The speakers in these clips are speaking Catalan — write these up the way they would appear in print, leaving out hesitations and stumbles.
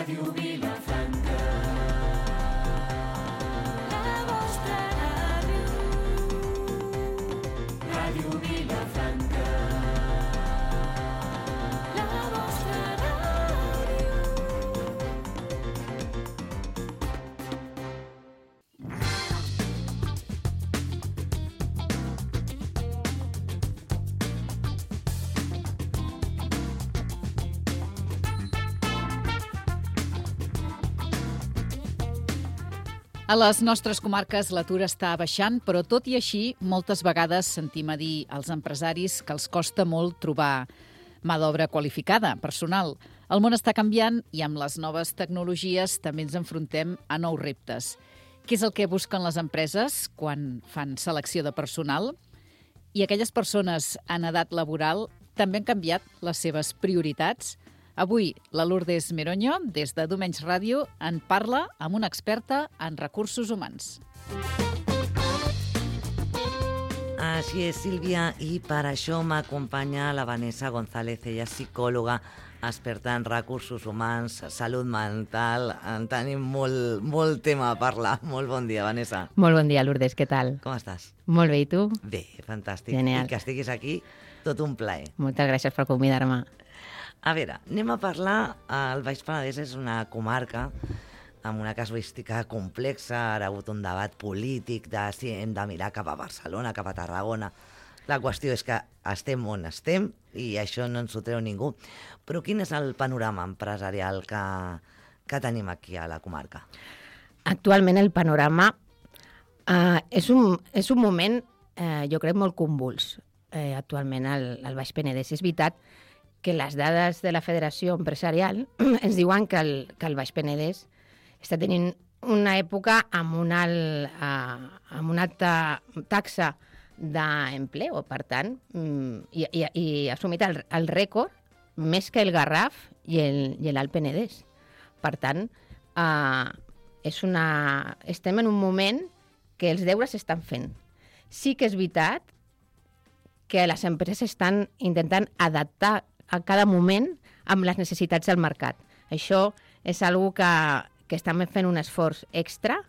Ràdio Vilafranca. La vostra ràdio. Ràdio Vilafranca. La vostra ràdio. A les nostres comarques l'atur està baixant, però tot i així, moltes vegades sentim a dir als empresaris que els costa molt trobar mà d'obra qualificada, personal. El món està canviant i amb les noves tecnologies també ens enfrontem a nous reptes. Què és el que busquen les empreses quan fan selecció de personal? I aquelles persones en edat laboral també han canviat les seves prioritats? Avui, la Lourdes Meroño, des de Domenys Ràdio, en parla amb una experta en recursos humans. Així és, Sílvia, i per això m'acompanya la Vanessa González, ella és psicòloga, experta en recursos humans, salut mental. En tenim molt tema a parlar. Molt bon dia, Vanessa. Molt bon dia, Lourdes, què tal? Com estàs? Molt bé, i tu? Bé, fantàstic. Genial. I que estiguis aquí, tot un plaer. Moltes gràcies per convidar-me. A veure, anem a parlar. El Baix Penedès és una comarca amb una casuística complexa. Ara ha hagut un debat polític de si hem de mirar cap a Barcelona, cap a Tarragona. La qüestió és que estem on estem i això no ens ho treu ningú. Però quin és el panorama empresarial que tenim aquí a la comarca? Actualment el panorama és un moment, jo crec, molt convuls. Actualment al Baix Penedès. És veritat que les dades de la Federació Empresarial ens diuen que el Baix Penedès està tenint una època amb una alta taxa d'empleo, per tant, i ha assumit el rècord més que el Garraf i l'Alt Penedès. Per tant, estem en un moment que els deures s'estan fent. Sí que és veritat que les empreses estan intentant adaptar a cada moment amb les necessitats del mercat. Això és una cosa que estem fent un esforç extra,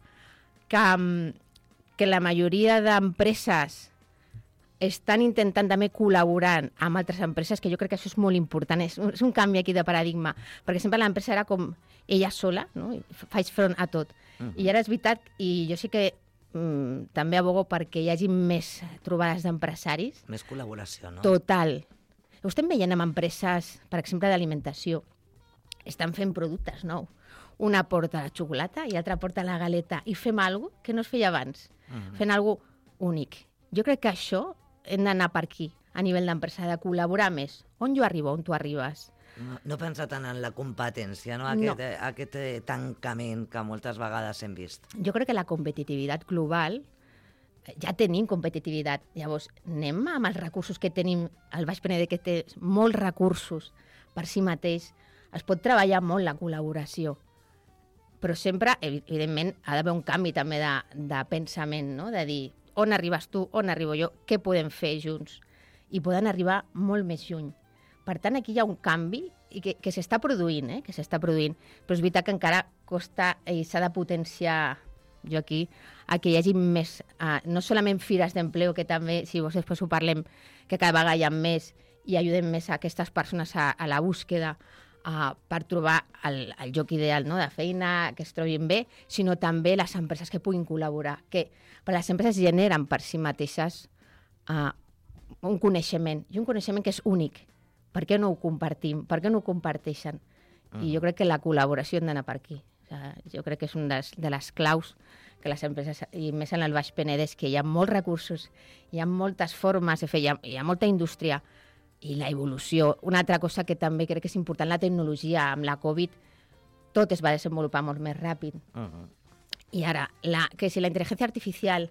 que la majoria d'empreses estan intentant també col·laborar amb altres empreses, que jo crec que això és molt important, és un canvi aquí de paradigma, perquè sempre l'empresa era com ella sola, no? Faig front a tot. I ara és veritat, i jo sí que també abogo perquè hi hagi més trobades d'empresaris. Més col·laboració, no? Total. Ho estem veient amb empreses, per exemple, d'alimentació. Estan fent productes nous. Una porta la xocolata i l'altra porta la galeta. I fem alguna cosa que no es feia abans. Fent alguna cosa únic. Jo crec que això hem d'anar per aquí, a nivell d'empresa, de col·laborar més. On jo arribo, on tu arribes. No pensa tant en la competència, no? Aquest tancament que moltes vegades hem vist. Jo crec que la competitivitat global, ja tenim competitivitat. Llavors, anem amb els recursos que tenim. El Baix Penedès, que té molts recursos per si mateix, es pot treballar molt la col·laboració. Però sempre, evidentment, ha d'haver un canvi també de pensament, no? De dir, on arribes tu, on arribo jo, què podem fer junts? I poden arribar molt més lluny. Per tant, aquí hi ha un canvi i que s'està produint, que s'està produint. Però és veritat que encara costa i s'ha de potenciar, jo aquí, a que hi hagi més, no solament fires d'empleo, que també, si vos després ho parlem, que cada vegada hi ha més i ajudem més a aquestes persones a la búsqueda per trobar el lloc ideal, no?, de feina, que es trobin bé, sinó també les empreses que puguin col·laborar, que per les empreses generen per si mateixes un coneixement, i un coneixement que és únic. Per què no ho compartim? Per què no ho comparteixen? I jo crec que la col·laboració hem d'anar per aquí. Jo crec que és una de les claus que les empreses, i més en el Baix Penedès, que hi ha molts recursos, hi ha moltes formes de fer, hi ha molta indústria, i la evolució. Una altra cosa que també crec que és important, la tecnologia. Amb la Covid tot es va desenvolupar molt més ràpid. I ara, que si la intel·ligència artificial,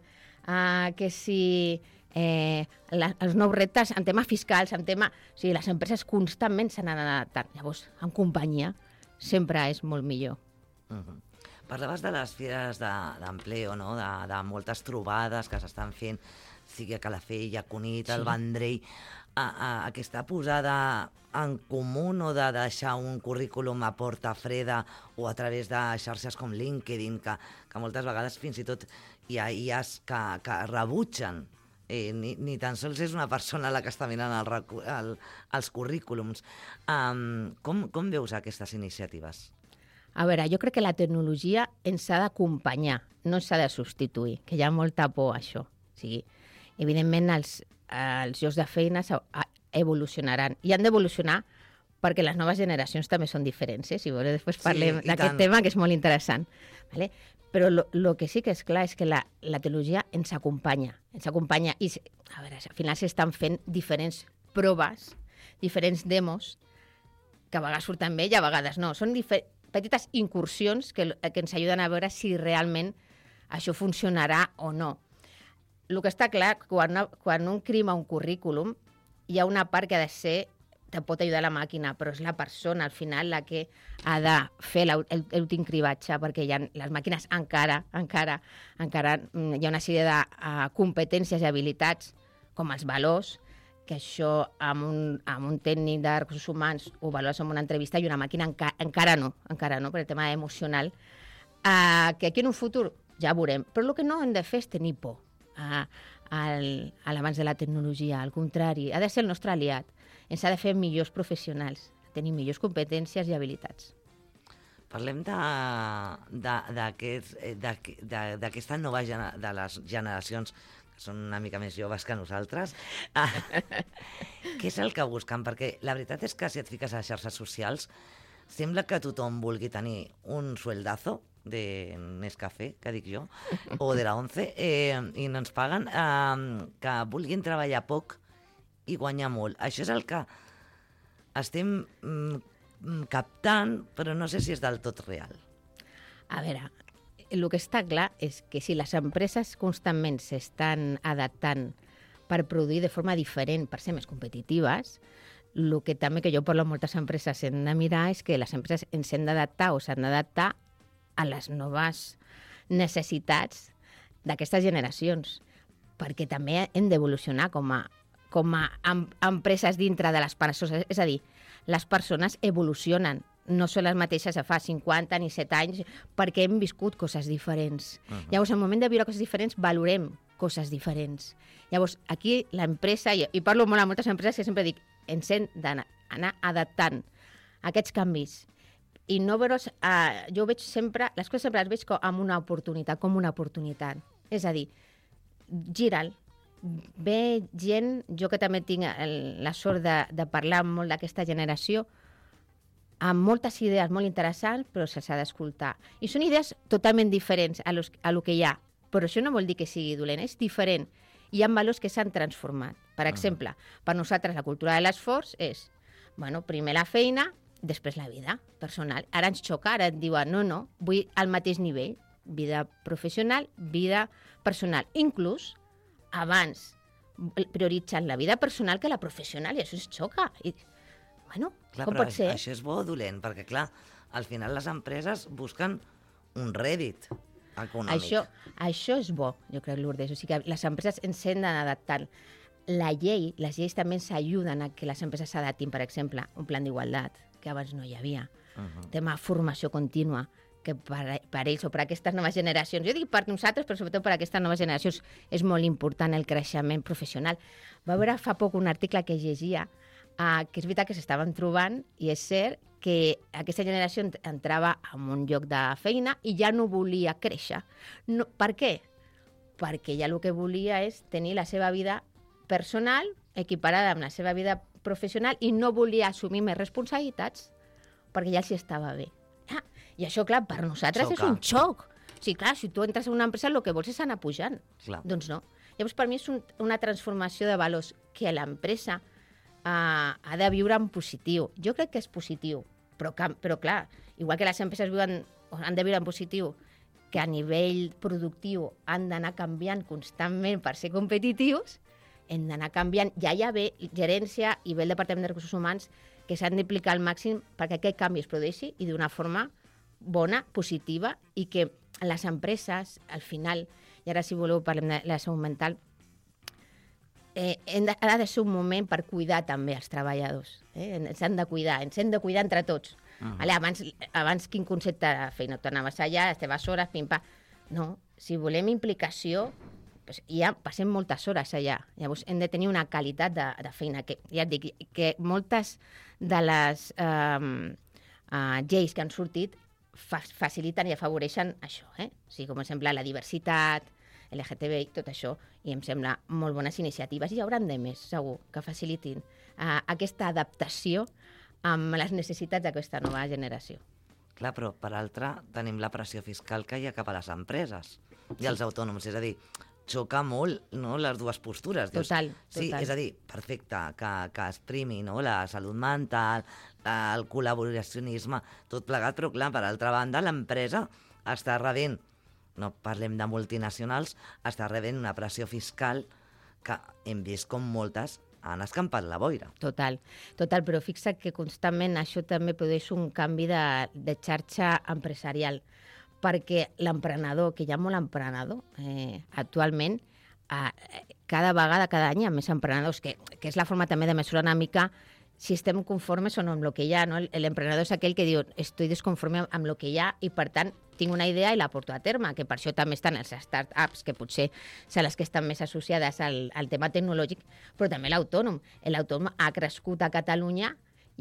que si els nous reptes en temes fiscals, o sigui, les empreses constantment s'han anat adaptant. Llavors, en companyia, sempre és molt millor. Parlaves de les fires d'empleo, no? De moltes trobades que s'estan fent, sigui a Calafell, a Cunit, al Vendrell. aquesta posada en comú o de deixar un currículum a porta freda o a través de xarxes com LinkedIn, que moltes vegades fins i tot hi ha IAs que rebutgen. Ni tan sols és una persona la que està mirant els currículums. Com veus aquestes iniciatives? A veure, jo crec que la tecnologia ens ha d'acompanyar, no s'ha de substituir, que hi ha molta por a això. O sigui, evidentment, els llocs de feina evolucionaran i han d'evolucionar perquè les noves generacions també són diferents. Si voleu, després parlem d'aquest tema, que és molt interessant. Vale? Però el que sí que és clar és que la tecnologia ens acompanya. I, a veure, al final s'estan fent diferents proves, diferents demos, que a vegades surten bé i a vegades no. Són petites incursions que ens ajuden a veure si realment això funcionarà o no. El que està clar, quan un crima un currículum, hi ha una part que ha de ser, te pot ajudar la màquina, però és la persona, al final, la que ha de fer l'últim cribatge, perquè les màquines encara hi ha una sèrie de competències i habilitats, com els valors, que això amb un tècnic de recursos humans ho valores en una entrevista i una màquina encara no, per el tema emocional, que aquí en un futur ja veurem. Però el que no hem de fer és tenir por a l'avanç de la tecnologia. Al contrari, ha de ser el nostre aliat. Ens ha de fer millors professionals, tenir millors competències i habilitats. Parlem d'aquesta nova de les generacions que són una mica més joves que nosaltres. Què és el que busquen? Perquè la veritat és que si et fiques a les xarxes socials sembla que tothom vulgui tenir un sueldazo de Nescafé, que dic jo, o de la 11, i no ens paguen, que vulguin treballar poc i guanyar molt. Això és el que estem captant, però no sé si és del tot real. A veure, el que està clar és que si les empreses constantment s'estan adaptant per produir de forma diferent, per ser més competitives, el que també que jo parlo amb moltes empreses hem de mirar és que les empreses ens hem d'adaptar o s'han d'adaptar a les noves necessitats d'aquestes generacions, perquè també hem d'evolucionar com a empreses dintre de les persones. És a dir, les persones evolucionen, no són les mateixes de fa 50 ni 7 anys, perquè hem viscut coses diferents. Llavors, al moment de viure coses diferents, valorem coses diferents. Llavors, aquí l'empresa, i parlo molt amb moltes empreses que sempre dic, ens hem d'anar adaptant a aquests canvis. I no veure's, jo veig sempre, les coses sempre les veig com una oportunitat. És a dir, gira'l. Ve gent, jo que també tinc la sort de parlar molt d'aquesta generació, amb moltes idees molt interessants, però se'ls ha d'escoltar. I són idees totalment diferents a lo que hi ha, però això no vol dir que sigui dolent, és diferent. Hi ha valors que s'han transformat. Per exemple, per nosaltres la cultura de l'esforç és, primer la feina, després la vida personal. Ara ens xoca, ara et diuen, no, vull al mateix nivell, vida professional, vida personal. Inclús, abans prioritzant la vida personal que la professional, i això ens xoca. Clar, com pot ser? Això és bo o dolent, perquè clar, al final les empreses busquen un rèdit econòmic. Això és bo, jo crec, Lourdes. O sigui que les empreses ens hem d'anar adaptant. Les lleis també ens ajuden a que les empreses s'adaptin. Per exemple, un plan d'igualtat, que abans no hi havia. Tema formació contínua, que per ells o per aquestes noves generacions, jo dic per nosaltres, però sobretot per aquestes noves generacions, és molt important el creixement professional. Va haver fa poc un article que llegia que és veritat que s'estaven trobant, i és cert que aquesta generació entrava en un lloc de feina i ja no volia créixer. No, per què? Perquè ja el que volia és tenir la seva vida personal equiparada amb la seva vida professional i no volia assumir més responsabilitats perquè ja els estava bé. I això, clar, per nosaltres és un xoc. O sigui, clar, si tu entres en una empresa el que vols és anar pujant. Clar. Doncs no. Llavors, per mi és una transformació de valors que l'empresa ha de viure en positiu. Jo crec que és positiu, però clar, igual que les empreses han de viure en positiu, que a nivell productiu han d'anar canviant constantment per ser competitius, hem d'anar canviant. Ja hi ha gerència i el Departament de Recursos Humans que s'han d'implicar al màxim perquè aquest canvi es produeixi i d'una forma bona, positiva, i que les empreses, al final, i ara si voleu parlem de la salut mental, ha de ser un moment per cuidar també els treballadors. Ens hem de cuidar entre tots. Vale? Abans quin concepte de feina? Tu anaves allà, les teves hores, pim-pam. No, si volem implicació, doncs ja passem moltes hores allà. Llavors hem de tenir una qualitat de feina. Que, ja et dic, que moltes de les lleis que han sortit faciliten i afavoreixen això. O sigui, com per exemple la diversitat, LGTBI, tot això, i em sembla molt bones iniciatives. I hi hauran de més, segur, que facilitin aquesta adaptació amb les necessitats d'aquesta nova generació. Clar, però per altra tenim la pressió fiscal que hi ha cap a les empreses i als autònoms. És a dir, xoca molt, no?, les dues postures. Dius, Total. Sí, és a dir, perfecte, que es primi, no?, la salut mental, el col·laboracionisme, tot plegat, però clar, per altra banda, l'empresa està rebent, no parlem de multinacionals, està rebent una pressió fiscal que hem vist com moltes han escampat la boira. Total, però fixa't que constantment això també produeix un canvi de xarxa empresarial, perquè l'emprenedor, que hi ha molt emprenedor actualment, cada vegada, cada any hi ha més emprenedors, que és la forma també de mesurar una mica si estem conformes o no amb el que hi ha. No? L'emprenedor és aquell que diu estoy desconforme amb el que hi ha i, per tant, tinc una idea i la porto a terme, que per això també estan els start-ups, que potser són les que estan més associades al tema tecnològic, però també l'autònom. L'autònom ha crescut a Catalunya,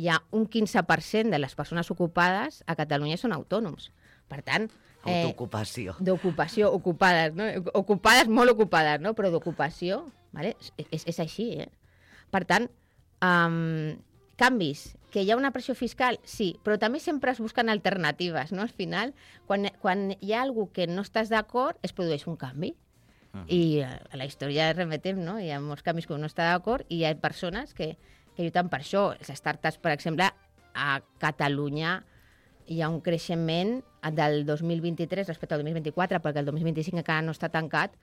hi ha un 15% de les persones ocupades a Catalunya són autònoms. Per tant... Autoocupació. D'ocupació, ocupades, no? Ocupades, molt ocupades, no? Però d'ocupació, vale? És així, Per tant, canvis, que hi ha una pressió fiscal, sí, però també sempre es busquen alternatives, no? Al final, quan hi ha algú que no estàs d'acord, es produeix un canvi. I a la història remetem, no? Hi ha molts canvis que no està d'acord i hi ha persones que lluiten per això. Les startups, per exemple, a Catalunya hi ha un creixement del 2023 respecte al 2024, perquè el 2025 encara no està tancat,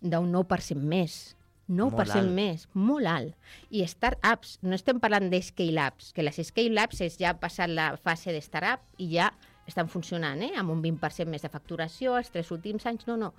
d'un 9% més. 9% més, molt alt. I start-ups, no estem parlant de scale-ups, que les scale-ups és ja passat la fase de start-up i ja estan funcionant, amb un 20% més de facturació els 3 últims anys, no.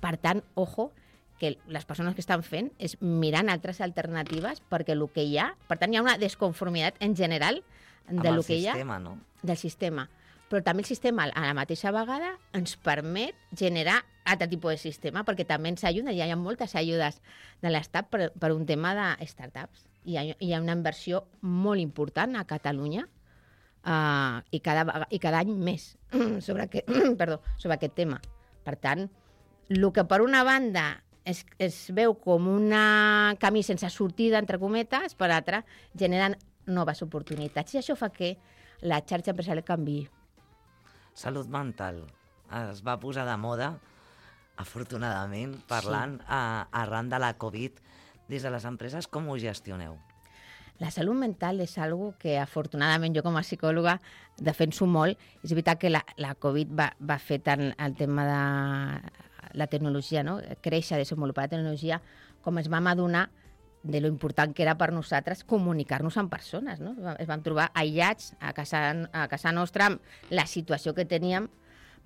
Per tant, ojo, que les persones que estan fent és mirant altres alternatives perquè el que hi ha, per tant, hi ha una desconformitat en general del que hi ha, no? Del sistema. Però també el sistema, a la mateixa vegada, ens permet generar altre tipus de sistema, perquè també ens ajuda, hi ha moltes ajudes de l'Estat per un tema de startups. Hi ha una inversió molt important a Catalunya i cada any més sobre aquest tema. Per tant, el que per una banda es veu com un camí sense sortida, entre cometes, per altra, generen noves oportunitats. I això fa que la xarxa empresarial canviï. Salut mental. Es va posar de moda, afortunadament, parlant arran de la Covid. Des de les empreses, com ho gestioneu? La salut mental és algo que, afortunadament, jo com a psicòloga defenso molt. És veritat que la Covid va fer tant el tema de la tecnologia, no? Créixer, desenvolupar la tecnologia, com ens vam adonar de lo important que era per nosaltres comunicar-nos amb persones, no? Es vam trobar aïllats a casa nostra amb la situació que teníem,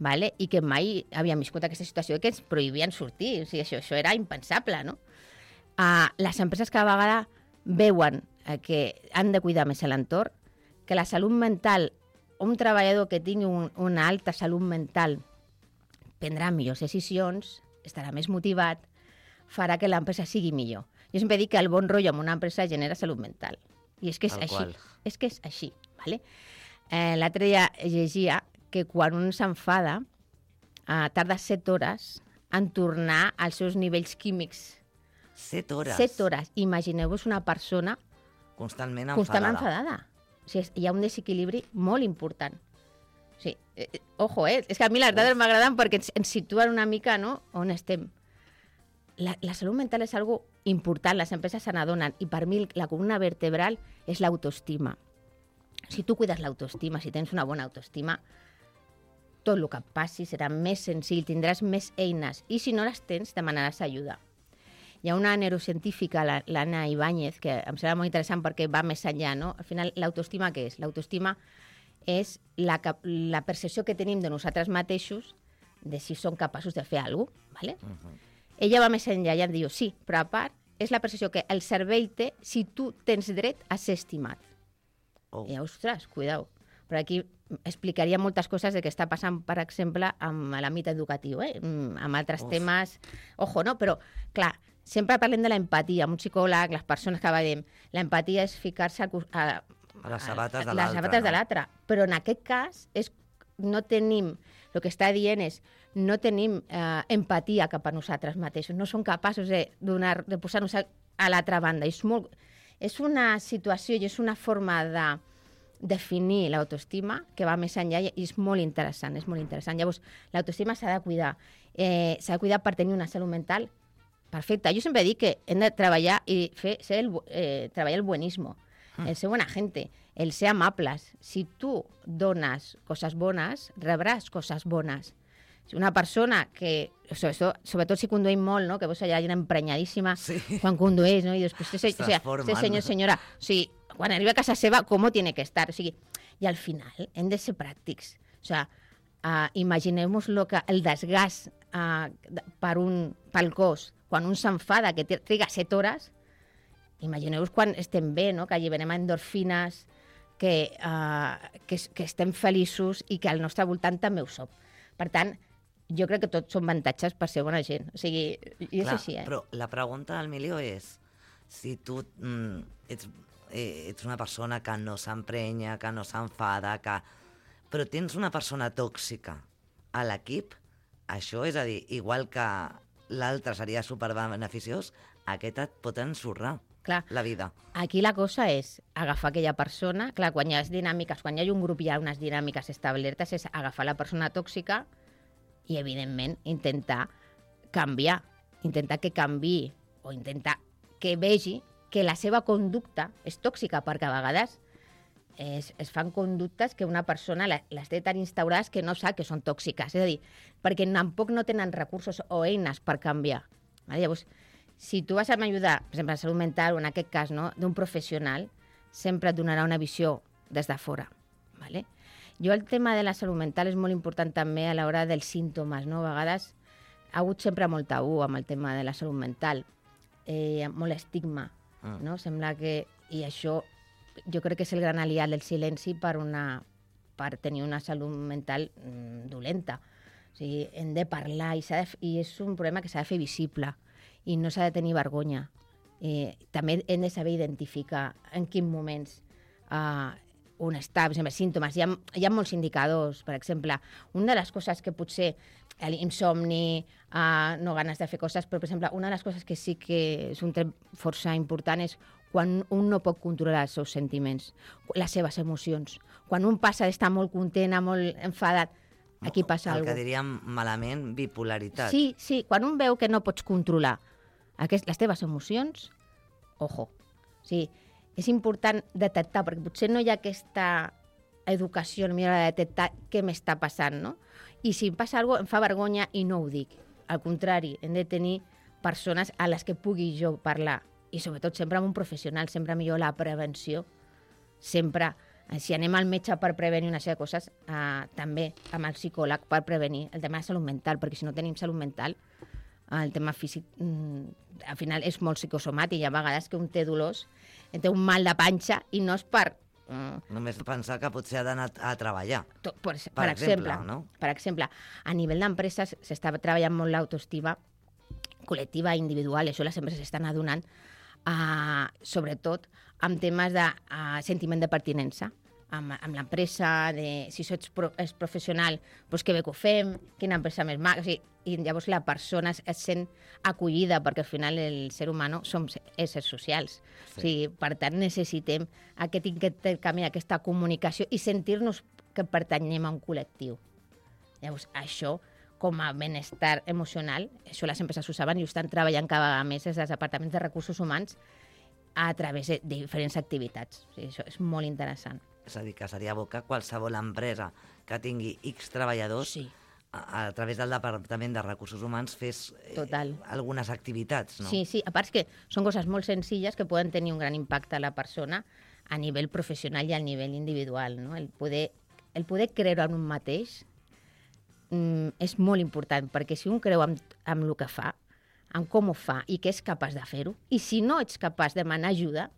vale? I que mai havíem viscut aquesta situació que ens prohibien sortir. O sigui, això era impensable, no? Les empreses cada vegada veuen que han de cuidar més l'entorn, que la salut mental, un treballador que tingui una alta salut mental prendrà millors decisions, estarà més motivat, farà que l'empresa sigui millor. Jo sempre dic que el bon rotllo en una empresa genera salut mental. I és que és així. És que és així. Vale? L'altre dia llegia que quan un s'enfada tarda 7 hores en tornar als seus nivells químics. 7 hores? 7 hores. Imagineu-vos una persona constantment enfadada. O sigui, hi ha un desequilibri molt important. O sigui, ojo, és que a mi les dades m'agraden perquè ens situen una mica, no?, on estem. La salut mental és algo important, les empreses se n'adonen, i per mi la columna vertebral és l'autoestima. Si tu cuides l'autoestima, si tens una bona autoestima, tot el que et passi serà més senzill, tindràs més eines, i si no les tens, demanaràs ajuda. Hi ha una neurocientífica, l'Anna Ibáñez, que em sembla molt interessant perquè va més enllà, no? Al final, l'autoestima què és? L'autoestima és la percepció que tenim de nosaltres mateixos de si som capaços de fer alguna cosa, ¿vale? Ella va més enllà i em diu, sí, però a part és la percepció que el cervell té si tu tens dret a ser estimat. Oh. I, ostres, cuidao. Però aquí explicaria moltes coses de què està passant, per exemple, amb l'àmbit educatiu, amb altres temes. Ojo, no? Però, clar, sempre parlem de l'empatia. Amb un psicòleg, les persones que veiem, l'empatia és ficar-se a les sabates de les l'altre. sabates de l'altre. Però en aquest cas no tenim, el que està dient és, no tenim empatia cap a nosaltres mateixos. No som capaços de posar-nos a l'altra banda. És una situació i és una forma de definir l'autoestima que va més enllà i és molt interessant, Llavors, l'autoestima s'ha de cuidar. S'ha de cuidar per tenir una salut mental perfecta. Jo sempre dic que hem de treballar i treballar el buenismo, el ser bona gente, el ser amables. Si tu dones coses bones, rebràs coses bones. Si una persona que, sobretot si conduïm molt, no? Que veus allà gent emprenyadíssima quan condueix, no? I després, senyor, senyora, o sigui, quan arriba a casa seva, com tiene que estar? O sigui, i al final hem de ser pràctics. O sigui, imagineu-vos el desgast pel cos, quan un s'enfada, que triga 7 hores, imagineu-vos quan estem bé, no? Que alliberem endorfines, que estem feliços i que al nostre voltant també ho som. Per tant, jo crec que tots són avantatges per ser bona gent. O sigui, i és així, Però la pregunta del milió és, si tu ets una persona que no s'emprenya, que no s'enfada, però tens una persona tòxica a l'equip, això, és a dir, igual que l'altre seria superbeneficiós, aquest et pot ensorrar la vida. Aquí la cosa és agafar aquella persona, clar, quan hi ha dinàmiques, quan hi ha un grup i hi ha unes dinàmiques establertes, és agafar la persona tòxica i, evidentment, intentar canviar, intentar que canviï o intentar que vegi que la seva conducta és tòxica, perquè a vegades es fan conductes que una persona les té tan instaurades que no sap que són tòxiques. És a dir, perquè tampoc no tenen recursos o eines per canviar. Llavors, si tu vas a m'ajudar, per exemple, a salut mental, o en aquest cas, no, d'un professional, sempre et donarà una visió des de fora. Vale? Jo el tema de la salut mental és molt important també a l'hora dels símptomes. No? A vegades ha hagut sempre molt tabú amb el tema de la salut mental, molt estigma. No? Sembla que... I això jo crec que és el gran aliat del silenci per tenir una salut mental dolenta. O sigui, hem de parlar i és un problema que s'ha de fer visible i no s'ha de tenir vergonya. També hem de saber identificar en quins moments un està, per exemple, símptomes. Hi ha molts indicadors. Per exemple, una de les coses que potser l'insomni, no ganes de fer coses, però, per exemple, una de les coses que sí que és un tret força important és quan un no pot controlar els seus sentiments, les seves emocions. Quan un passa d'estar molt content, molt enfadat, aquí passa alguna cosa. El que diríem malament, bipolaritat. Sí, quan un veu que no pots controlar les teves emocions, ojo. O sigui, és important detectar, perquè potser no hi ha aquesta educació a l'hora de detectar què m'està passant, no? I si em passa alguna cosa, em fa vergonya i no ho dic. Al contrari, hem de tenir persones a les que pugui jo parlar. I sobretot sempre amb un professional, sempre millor la prevenció. Sempre, si anem al metge per prevenir una sèrie de coses, també amb el psicòleg per prevenir el tema de salut mental, perquè si no tenim salut mental, el tema físic al final és molt psicosomàtic. Hi ha vegades que un té dolors, té un mal de panxa i no és per... Només pensar que potser ha d'anar a treballar. Per exemple, no? Per exemple, a nivell d'empreses s'està treballant molt l'autoestima col·lectiva i individual, i això les empreses s'estan adonant, sobretot amb temes de sentiment de pertinença, amb l'empresa, si ets professional, doncs que bé que ho fem, quina empresa més maca, o sigui, i llavors la persona es sent acollida, perquè al final el ser humà som éssers socials. Sí. O sigui, per tant, necessitem aquest intercanvi, aquesta comunicació i sentir-nos que pertanyem a un col·lectiu. Llavors, això, com a benestar emocional, això les empreses ho saben i ho estan treballant cada vegada més des dels departaments de recursos humans a través de diferents activitats. O sigui, això és molt interessant. És a dir, que seria bo que qualsevol empresa que tingui X treballadors, sí, a través del Departament de Recursos Humans fes algunes activitats, no? Sí, a part que són coses molt senzilles que poden tenir un gran impacte a la persona a nivell professional i a nivell individual, no? El poder creure en un mateix és molt important, perquè si un creu en el que fa, en com ho fa i que és capaç de fer-ho. I si no ets capaç de demanar ajuda,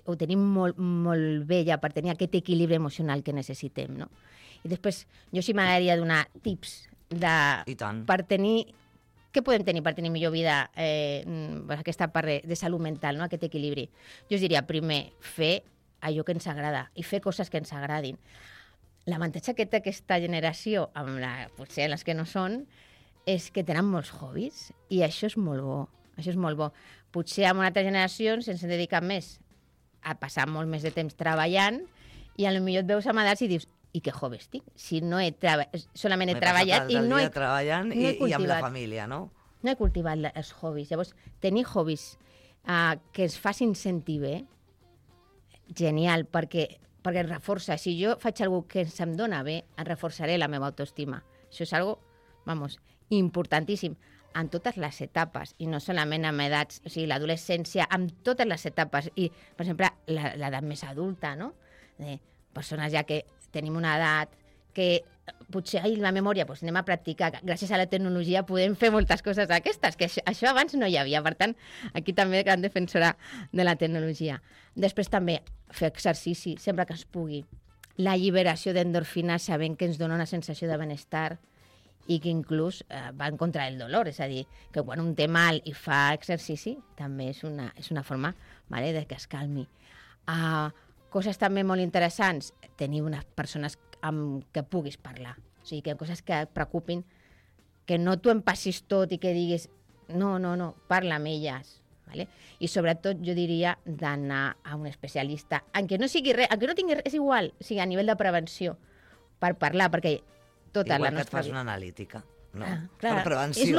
ho tenim molt, molt bé ja per tenir aquest equilibri emocional que necessitem, no? I després, jo sí m'agradaria donar tips I tant. per tenir... Què podem tenir per tenir millor vida, aquesta part de salut mental, no? Aquest equilibri? Jo us diria, primer, fer allò que ens agrada i fer coses que ens agradin. L'avantatge que té aquesta generació, potser les que no són, és que tenen molts hobbies i això és molt bo. Això és molt bo. Potser en altres generacions ens hem dedicat més a passar molt més de temps treballant i potser et veus amb edats i dius i què hobbies tinc? Si no solament he treballat i no he treballant no he i amb la cultivat. família, no? No he cultivat els hobbies. Llavors, tenir hobbies que ens facin sentir bé, genial, perquè ens reforça. Si jo faig alguna que em dona bé, em reforçaré la meva autoestima. Això és algo, importantíssim en totes les etapes, i no solament en edats, o sigui, l'adolescència, en totes les etapes. I, per exemple, l'edat més adulta, no? Persones ja que tenim una edat que potser la memòria anem a practicar. Gràcies a la tecnologia podem fer moltes coses d'aquestes, que això abans no hi havia. Per tant, aquí també gran defensora de la tecnologia. Després també fer exercici, sempre que es pugui. L'alliberació d'endorfines sabent que ens dona una sensació de benestar i que inclús va en contra del dolor. És a dir, que quan un té mal i fa exercici també és una forma de que es calmi. Coses també molt interessants, tenir unes persones amb què puguis parlar. O sigui, que coses que et preocupin, que no t'ho empassis tot i que diguis no, parla amb elles. Vale? I sobretot jo diria d'anar a un especialista, encara no sigui res, encara no tingui res, és igual, o sigui, a nivell de prevenció, per parlar, perquè tota igual la nostra que et fas vida... una analítica. No? Clar, per prevenció. és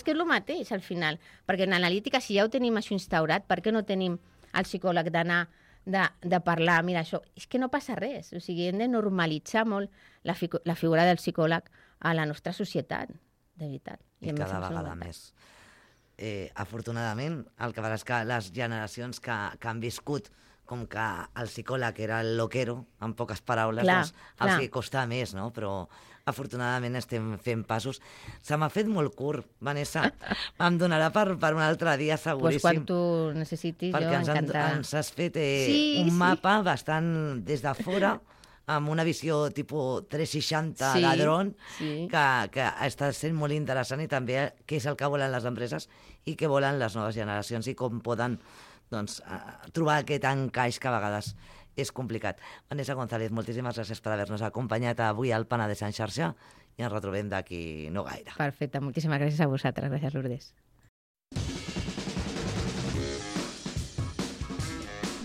que és el mateix al final, perquè en analítica, si ja ho tenim això instaurat, per què no tenim el psicòleg d'anar de parlar, mira, això, és que no passa res. O sigui, hem de normalitzar molt la figura del psicòleg a la nostra societat, de veritat. I cada vegada més. Afortunadament, el que farà és que les generacions que han viscut com que el psicòleg era el loquero, en poques paraules, els que costa més, no? Però afortunadament estem fent passos. Se m'ha fet molt curt, Vanessa. Em donarà per un altre dia, seguríssim. Pues quan tu necessitis, jo encantada. Perquè ens has fet un mapa bastant des de fora, amb una visió tipus 360 de dron, que està sent molt interessant, i també què és el que volen les empreses i què volen les noves generacions i com poden trobar aquest encaix que a vegades és complicat. Vanessa González, moltíssimes gràcies per haver-nos acompanyat avui al Penedès en xarxa i ens retrobem d'aquí no gaire. Perfecte, moltíssimes gràcies a vosaltres. Gràcies, Lourdes.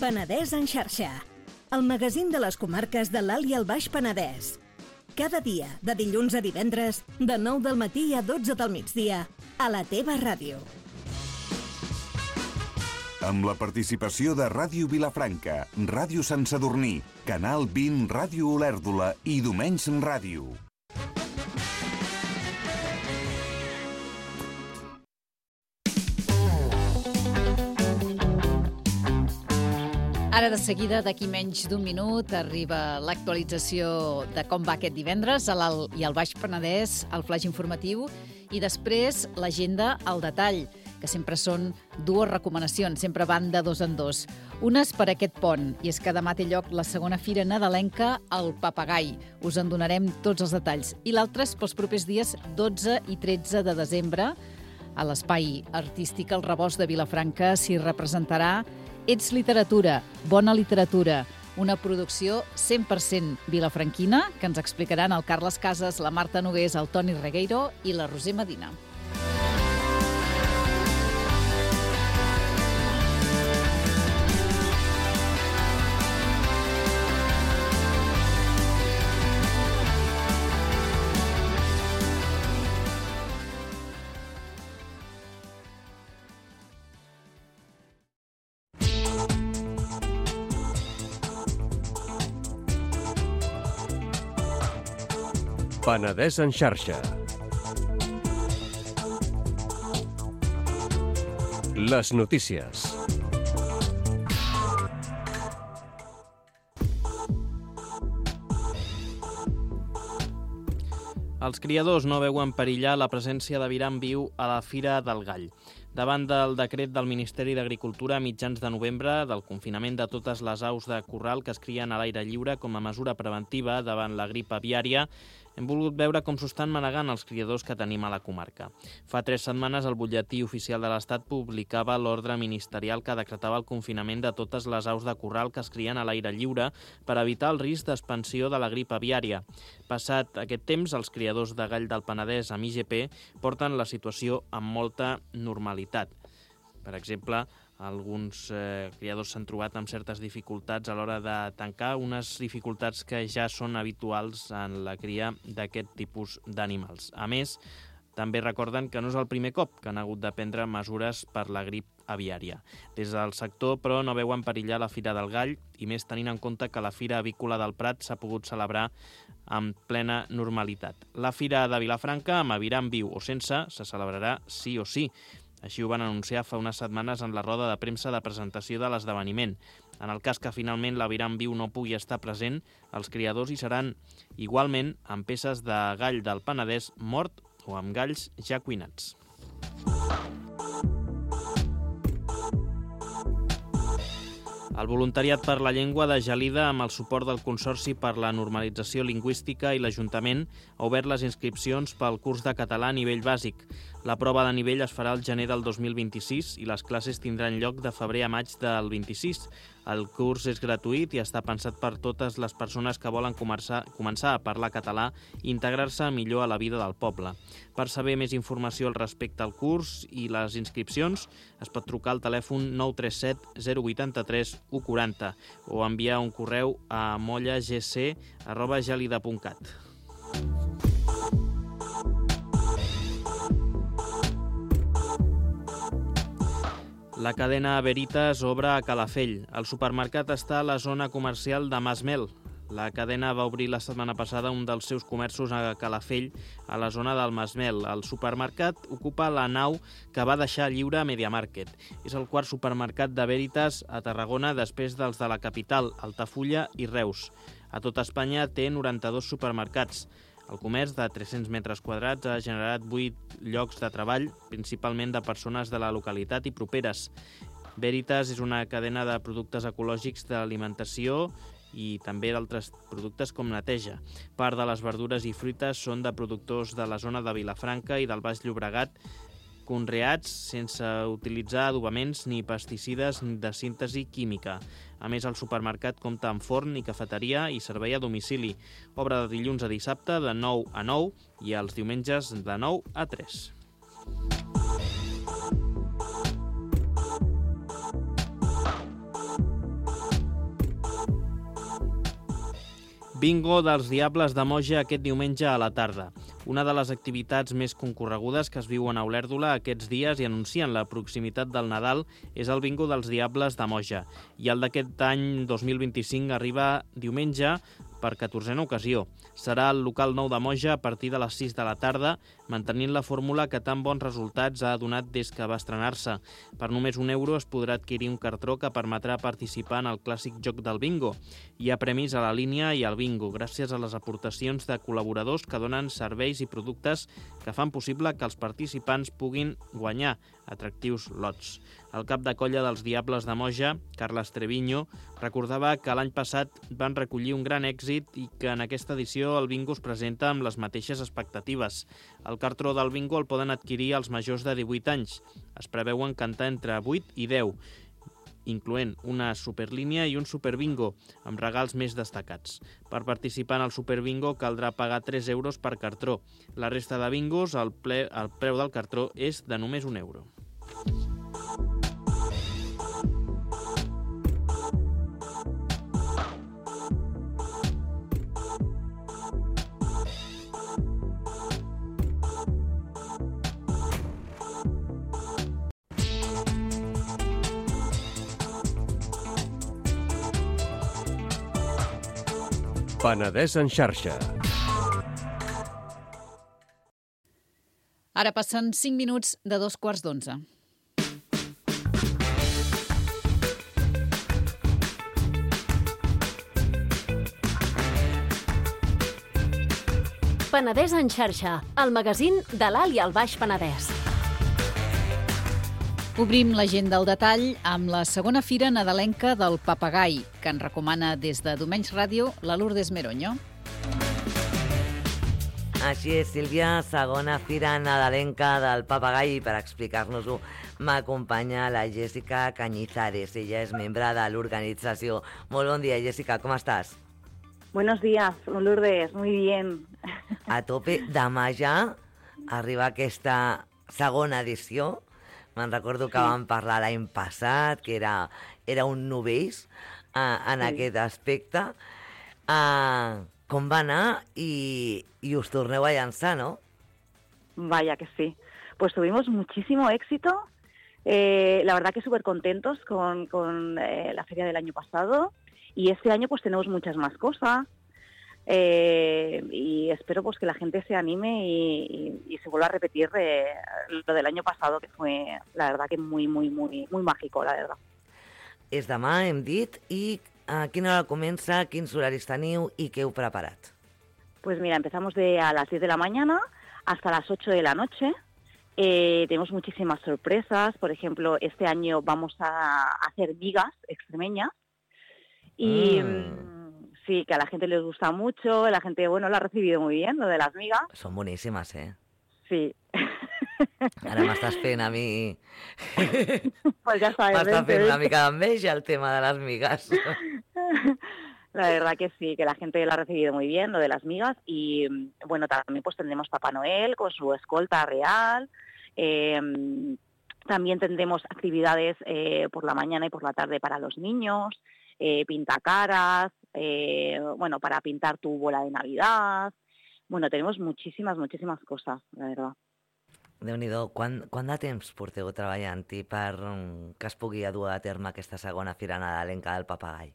Penedès en xarxa, el magazín de les comarques de l'Alt i el Baix Penedès. Cada dia, de dilluns a divendres, de 9 del matí a 12 del migdia, a la teva ràdio. Amb la participació de Ràdio Vilafranca, Ràdio Sant Sadurní, Canal 20 Ràdio Olèrdola i Domenys Ràdio. Ara de seguida, d'aquí menys d'un minut, arriba l'actualització de com va aquest divendres a l'Alt i al Baix Penedès, el flaix informatiu, i després l'agenda al detall, que sempre són dues recomanacions, sempre van de dos en dos. Unes per aquest pont, i és que demà té lloc la segona fira nadalenca al Papagai. Us en donarem tots els detalls. I l'altra és pels propers dies 12 i 13 de desembre. A l'Espai Artístic El Rebost de Vilafranca s'hi representarà Ets literatura, bona literatura, una producció 100% vilafranquina que ens explicaran el Carles Casas, la Marta Nogués, el Toni Regueiro i la Roser Medina. Penedès en xarxa. Les notícies. Els criadors no veuen perillar la presència d'aviram viu a la Fira del Gall. Davant del decret del Ministeri d'Agricultura a mitjans de novembre del confinament de totes les aus de corral que es crien a l'aire lliure com a mesura preventiva davant la grip aviària, hem volgut veure com s'ho estan manegant els criadors que tenim a la comarca. Fa 3 setmanes el butlletí oficial de l'Estat publicava l'ordre ministerial que decretava el confinament de totes les aus de corral que es crien a l'aire lliure per evitar el risc d'expansió de la grip aviària. Passat aquest temps, els criadors de gall del Penedès amb IGP porten la situació amb molta normalitat. Per exemple, alguns criadors s'han trobat amb certes dificultats a l'hora de tancar, unes dificultats que ja són habituals en la cria d'aquest tipus d'animals. A més, també recorden que no és el primer cop que han hagut de prendre mesures per la grip aviària. Des del sector, però, no veuen perillar la Fira del Gall, i més tenint en compte que la Fira Avícola del Prat s'ha pogut celebrar amb plena normalitat. La Fira de Vilafranca, amb aviram viu o sense, se celebrarà sí o sí. Així ho van anunciar fa unes setmanes en la roda de premsa de presentació de l'esdeveniment. En el cas que finalment l'aviram viu no pugui estar present, els criadors hi seran igualment amb peces de gall del Penedès mort o amb galls ja cuinats. El voluntariat per la llengua de Gelida, amb el suport del Consorci per la Normalització Lingüística i l'Ajuntament, ha obert les inscripcions pel curs de català a nivell bàsic. La prova de nivell es farà al gener del 2026 i les classes tindran lloc de febrer a maig del 26. El curs és gratuït i està pensat per totes les persones que volen començar a parlar català i integrar-se millor a la vida del poble. Per saber més informació al respecte al curs i les inscripcions, es pot trucar al telèfon 937 083 140 o enviar un correu a mollagc@gelida.cat. La cadena Veritas obre a Calafell. El supermercat està a la zona comercial de Masmel. La cadena va obrir la setmana passada un dels seus comerços a Calafell, a la zona del Masmel. El supermercat ocupa la nau que va deixar lliure a MediaMarket. És el quart supermercat de Veritas a Tarragona després dels de la capital, Altafulla i Reus. A tot Espanya té 92 supermercats. El comerç de 300 metres quadrats ha generat 8 llocs de treball, principalment de persones de la localitat i properes. Veritas és una cadena de productes ecològics d'alimentació i també d'altres productes com neteja. Part de les verdures i fruites són de productors de la zona de Vilafranca i del Baix Llobregat, conreats sense utilitzar adobaments ni pesticides de síntesi química. A més, el supermercat compta amb forn i cafeteria i servei a domicili. Obre de dilluns a dissabte de 9 a 9 i els diumenges de 9 a 3. Bingo dels Diables de Moja aquest diumenge a la tarda. Una de les activitats més concorregudes que es viuen a Olèrdola aquests dies i anuncien la proximitat del Nadal és el Bingo dels Diables de Moja. I el d'aquest any 2025 arriba diumenge per 14a ocasió. Serà al local nou de Moja a partir de les 6 de la tarda, mantenint la fórmula que tan bons resultats ha donat des que va estrenar-se. Per només €1 es podrà adquirir un cartró que permetrà participar en el clàssic joc del bingo. Hi ha premis a la línia i al bingo, gràcies a les aportacions de col·laboradors que donen serveis i productes que fan possible que els participants puguin guanyar atractius lots. El cap de colla dels Diables de Moja, Carles Treviño, recordava que l'any passat van recollir un gran èxit i que en aquesta edició el bingo es presenta amb les mateixes expectatives. El cartró del bingo el poden adquirir els majors de 18 anys. Es preveuen cantar entre 8 i 10, incloent una superlínia i un superbingo, amb regals més destacats. Per participar en el superbingo caldrà pagar €3 per cartró. La resta de bingos, el preu del cartró és de només €1. Penedès en xarxa. Ara passen 5 minuts de 2:15. Penedès en xarxa, el magazín de l'Alt i el Baix Penedès. Obrim l'agenda al detall amb la segona fira nadalenca del papagai, que en recomana des de Domenys Ràdio la Lourdes Meroño. Així és, Sílvia, segona fira nadalenca del papagai, i per explicar-nos-ho m'acompanya la Jessica Cañizares. Ella és membre de l'organització. Molt bon dia, Jessica, com estàs? Buenos días, Lourdes, muy bien. A tope. Demà ja arriba aquesta segona edició. Me'n recordo que vam parlar l'any passat, que era un novell en aquest aspecte. Com va anar i us torneu a llançar, ¿no? Vaya que sí. Pues tuvimos muchísimo éxito. La verdad que súper contentos con la feria del año pasado. Y este año pues tenemos muchas más cosas. Y espero pues que la gente se anime y se vuelva a repetir lo del año pasado, que fue la verdad que muy mágico, la verdad. És demà, hem dit, i a quina hora comença, quins horaris teniu i què heu preparat? Pues mira, empezamos a las 10 de la mañana hasta las 8 de la noche. Tenemos muchísimas sorpresas. Por ejemplo, este año vamos a hacer migas extremeñas. Y sí, que a la gente les gusta mucho. La gente, bueno, lo ha recibido muy bien, lo de las migas. Són boníssimes, eh? Sí. Ara m'estàs fent a mi... Pues ya sabes. M'està fent una mica d'enveja el tema de las migas. La verdad que sí, que la gente lo ha recibido muy bien, lo de las migas. Y bueno, también pues tendremos Papá Noel con su escolta real. También tendremos actividades por la mañana y por la tarde para los niños. Pintacaras, bueno, para pintar tu bola de Navidad. Bueno, tenemos muchísimas cosas, la verdad. Déu-n'hi-do, quant de temps porteu treballant-hi per que es pugui dur a terme aquesta segona fira nadalenca del papagai?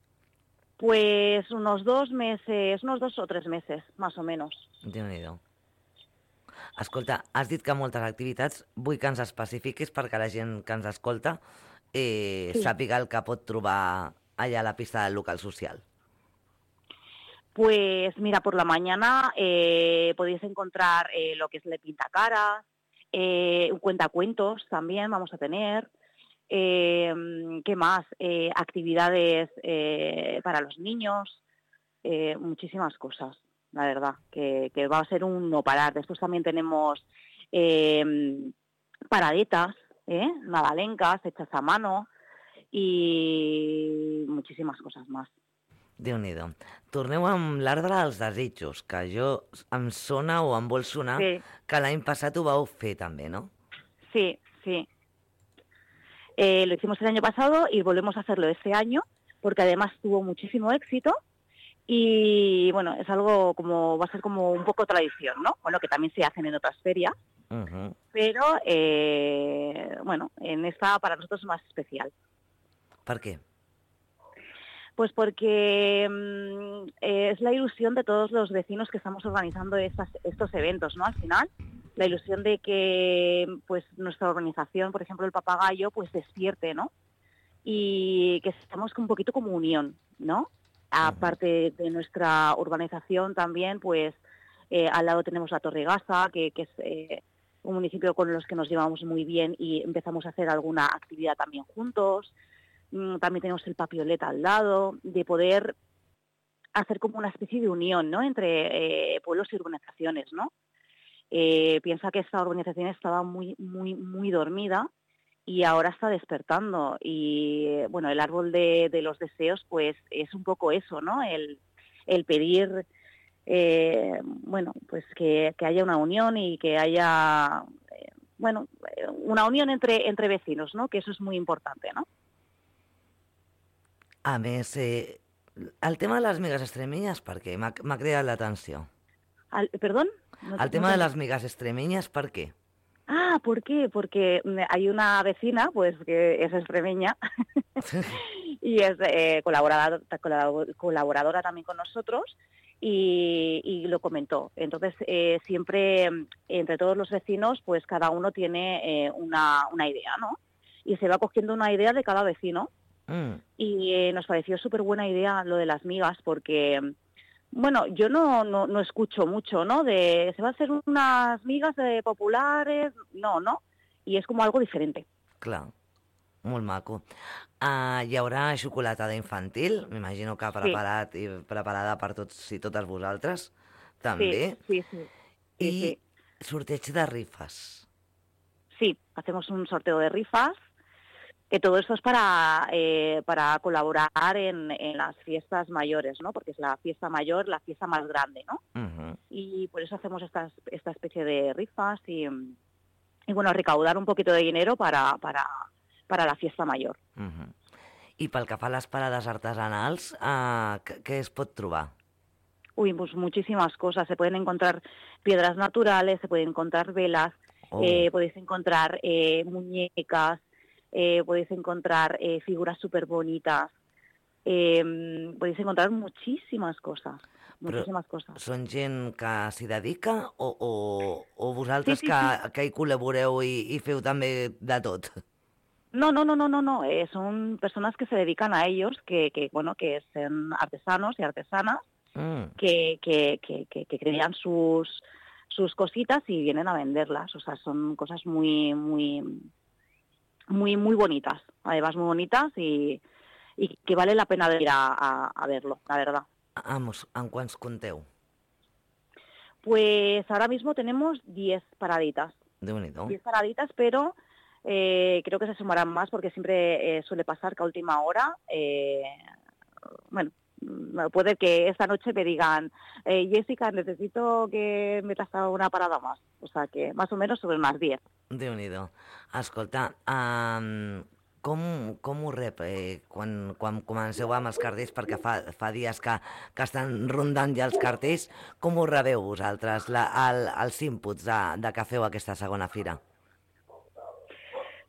Pues unos 2 o 3 meses, más o menos. Déu-n'hi-do. Escolta, has dit que moltes activitats, vull que ens especifiquis perquè la gent que ens escolta sàpiga el que pot trobar allà a la pista del local social. Pues mira, por la mañana podéis encontrar lo que es el pintacaras, un cuentacuentos también vamos a tener. ¿Qué más? Actividades para los niños, muchísimas cosas, la verdad, que va a ser un no parar. Después también tenemos paradetas, nadalencas hechas a mano i muchísimas cosas más. Déu-n'hi-do. Torneu amb l'arbre dels desitjos, que em sona o em vol sonar que l'any passat ho vau fer també, ¿no? Sí. Lo hicimos el año pasado y volvemos a hacerlo este año, porque además tuvo muchísimo éxito y bueno, es algo como, va a ser como un poco tradición, ¿no? Bueno, que también se hacen en otras ferias, pero bueno, en esta para nosotros es más especial. ¿Por qué? Pues porque es la ilusión de todos los vecinos que estamos organizando estos eventos, ¿no? Al final, la ilusión de que pues nuestra organización, por ejemplo el Papagayo, pues despierte, ¿no? Y que estamos un poquito como unión, ¿no? Aparte de nuestra urbanización también, pues al lado tenemos la Torregasa, que es un municipio con los que nos llevamos muy bien y empezamos a hacer alguna actividad también juntos. También tenemos el Papioleta al lado, de poder hacer como una especie de unión, ¿no? Entre pueblos y urbanizaciones, ¿no? Piensa que esta urbanización estaba muy dormida y ahora está despertando. Y bueno, el árbol de los deseos, pues es un poco eso, ¿no? El pedir, bueno, pues que haya una unión y que haya, bueno, una unión entre vecinos, ¿no? Que eso es muy importante, ¿no? A més, el tema de les migues extremeñas, per què? M'ha cridat l'atenció. ¿Perdón? El tema de las migas extremeñas, ¿por qué? Ah, ¿por qué? Porque hay una vecina, pues, que es extremeña y es colaboradora también con nosotros y lo comentó. Entonces, siempre entre todos los vecinos, pues cada uno tiene una idea, ¿no? Y se va cogiendo una idea de cada vecino. Y nos pareció súper buena idea lo de las migas porque Bueno, yo no escucho mucho, ¿no? De se va a hacer unas migas populares, no. I és com algo diferente. Clar, molt maco. Hi haurà xocolatada infantil, m'imagino que preparat i preparada per tots i totes vosaltres, també. Sí. I sorteig de rifes. Sí, hacemos un sorteo de rifas. Que todo esto es para colaborar en las fiestas mayores, ¿no? Porque es la fiesta mayor, la fiesta más grande, ¿no? Uh-huh. Y por eso hacemos esta especie de rifas y bueno, recaudar un poquito de dinero para la fiesta mayor. Uh-huh. I pel que fa a les parades artesanals, què es pot trobar? Uy, pues muchísimas cosas. Se pueden encontrar piedras naturales, se pueden encontrar velas, podéis encontrar muñecas, podéis encontrar figuras súper bonitas, podéis encontrar muchísimas cosas. Són gent que s'hi dedica o vosaltres Sí. que hi col·laboreu i feu també de tot? No. Son personas que se dedican a ellos, que son artesanos y artesanas, que crean sus cositas y vienen a venderlas. O sea, son cosas muy bonitas, además muy bonitas y que vale la pena de ir a verlo, la verdad. Vamos, en quants compteu? Pues ahora mismo tenemos 10 paraditas. Déu-n'hi-do. 10 paraditas, pero creo que se sumarán más porque siempre suele pasar que a última hora, bueno, puede que esta noche me digan, Jessica, necesito que metas a una parada más. O sea que más o menos sobre unas 10. Déu-n'hi-do. Escolta, com ho rep quan comenceu amb els cartells, perquè fa dies que estan rondant ja els cartells, com ho rebeu vosaltres, els inputs de que feu aquesta segona fira?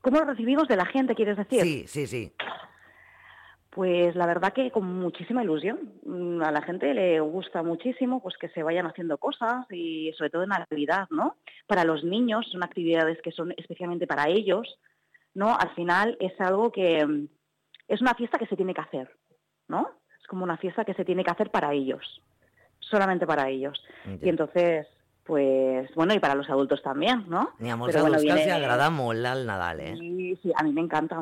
¿Cómo lo recibimos de la gente, quieres decir? Sí. Pues la verdad que con muchísima ilusión. A la gente le gusta muchísimo pues que se vayan haciendo cosas y sobre todo en Navidad, ¿no? Para los niños son actividades que son especialmente para ellos, ¿no? Al final es algo que es una fiesta que se tiene que hacer, ¿no? Es como una fiesta que se tiene que hacer para ellos, solamente para ellos. Y entonces, pues, bueno, y para los adultos también, ¿no? N'hi ha molts adults que els agrada molt el Nadal, Sí, a mí me encanta.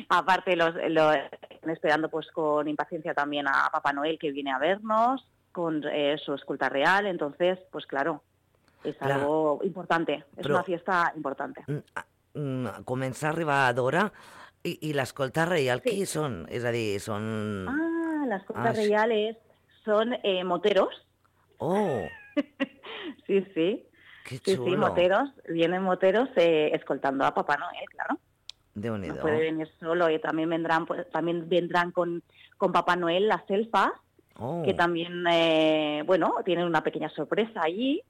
Aparte, los están esperando pues con impaciencia también a Papá Noel, que viene a vernos con su escolta real. Entonces, pues claro, es algo importante. Es una fiesta importante. Comença a arribar d'hora i l'escolta reial, qui són? És a dir, són... La escolta real son moteros. Oh! Sí. Qué chulo. Sí, moteros. Vienen moteros escoltando a Papá Noel, claro. Déu-n'hi-do. No puede venir solo y también vendrán con Papá Noel las elfas, que también, tienen una pequeña sorpresa allí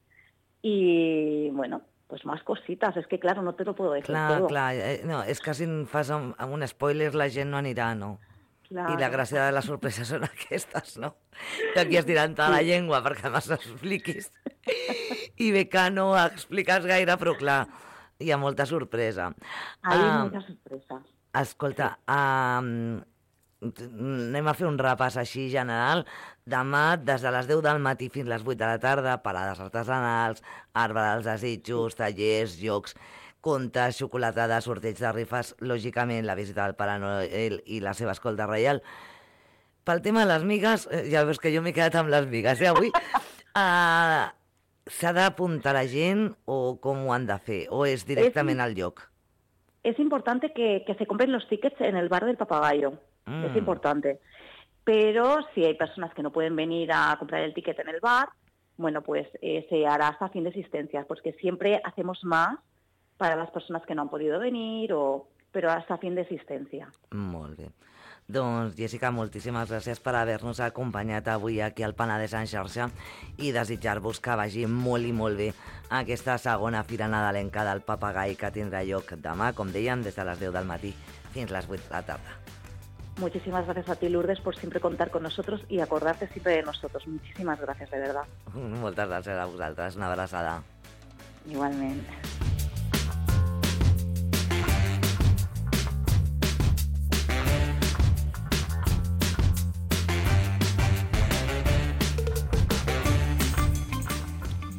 y, bueno, pues más cositas. Es que, claro, no te lo puedo decir todo. Clar. No, és que si en fas amb un spoiler la gent no anirà, no? Claro. I la gràcia de les sorpreses són aquestes, no? Que aquí es tirant la llengua perquè més expliquis. I bé que no expliques gaire, però clar, hi ha molta sorpresa. Hay muchas sorpresas. Escolta, anem a fer un repàs així general. Demà, des de les 10 del matí fins les 8 de la tarda, parades artesanals, arbre dels desitjos, tallers, jocs, contes, xocolatada, sorteig de rifes, lògicament la visita del Pare Noel i la seva escolta reial. Pel tema de les migues, ja veus que jo m'he quedat amb les migues, avui. S'ha d'apuntar la gent o com ho han de fer? O és directament al lloc? Es importante que se compren los tickets en el bar del Papagayo. Es importante. Pero si hay personas que no pueden venir a comprar el ticket en el bar, bueno, pues se hará hasta fin de existencias, porque siempre hacemos más para las personas que no han podido venir, pero hasta fin de existencia. Molt bé. Doncs, Jessica, moltíssimes gràcies per haver-nos acompanyat avui aquí al Penedès en xarxa i desitjar-vos que vagi molt i molt bé aquesta segona fira nadalenca del Papagai que tindrà lloc demà, com dèiem, des de les 10 del matí fins les 8 de la tarda. Muchísimas gracias a ti, Lourdes, por siempre contar con nosotros y acordarte siempre de nosotros. Muchísimas gracias, de verdad. Moltes gràcies a vosaltres. Una abraçada. Igualmente.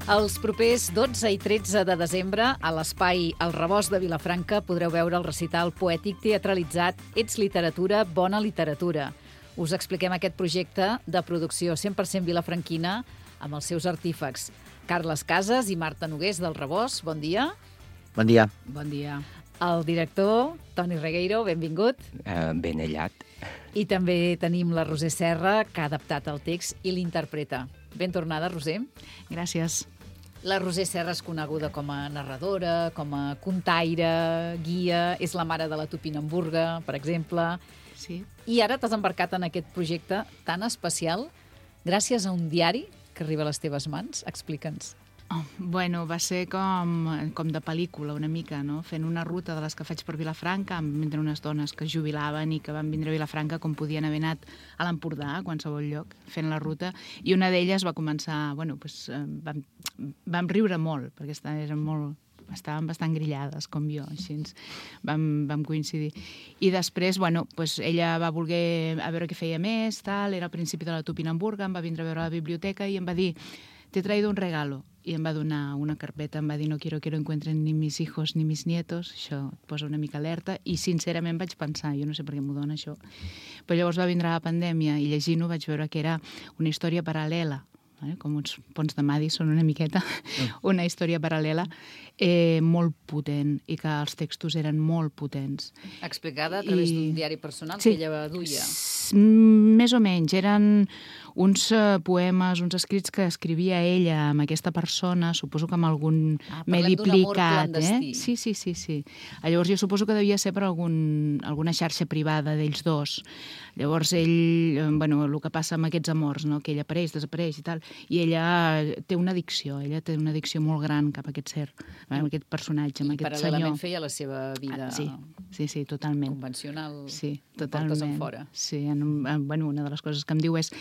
Els propers 12 i 13 de desembre, a l'espai El Rebost de Vilafranca, podreu veure el recital poètic teatralitzat Ets literatura, bona literatura. Us expliquem aquest projecte de producció 100% vilafranquina amb els seus artífecs. Carles Casas i Marta Nogués del Rebost, bon dia. Bon dia. Bon dia. El director, Toni Regueiro, benvingut. Ben aïllat. I també tenim la Roser Serra, que ha adaptat el text i l'interpreta. Ben tornada, Roser. Gràcies. La Roser Serra és coneguda com a narradora, com a contaire, guia, és la mare de la Tupinamburga, per exemple. Sí. I ara t'has embarcat en aquest projecte tan especial gràcies a un diari que arriba a les teves mans. Explica'ns. Bueno, va ser com de pel·lícula, una mica, no? Fent una ruta de les que faig per Vilafranca, amb vindre unes dones que es jubilaven i que van vindre a Vilafranca com podien haver anat a l'Empordà, a qualsevol lloc, fent la ruta. I una d'elles va començar, bueno, doncs, vam riure molt, perquè estàvem bastant grillades, com jo, així vam coincidir. I després, bueno, doncs ella va voler a veure què feia més, tal, era al principi de la Tupinamburga, em va vindre a veure a la biblioteca i em va dir «Te he traído un regalo». I em va donar una carpeta, em va dir «No quiero que encuentren ni mis hijos ni mis nietos». Això et posa una mica alerta. I sincerament vaig pensar, jo no sé per què m'ho dona això, però llavors va vindre la pandèmia i llegint-ho vaig veure que era una història paral·lela, com uns ponts de Madison una miqueta, una història paral·lela molt potent i que els textos eren molt potents. Explicada a través d'un diari personal sí, que ella duia. Més o menys. Eren uns poemes, uns escrits que escrivia ella amb aquesta persona, suposo que amb algun medi plicat. Sí. Llavors jo suposo que devia ser per alguna xarxa privada d'ells dos. Llavors ell, bueno, el que passa amb aquests amors, no? Que ell apareix, desapareix i tal, i ella té una addicció molt gran cap a aquest ser, amb aquest personatge, amb aquest senyor. I paral·lelament feia la seva vida sí, totalment. Convencional, sí, totalment. portes enfora. Sí, bueno, una de les coses que em diu és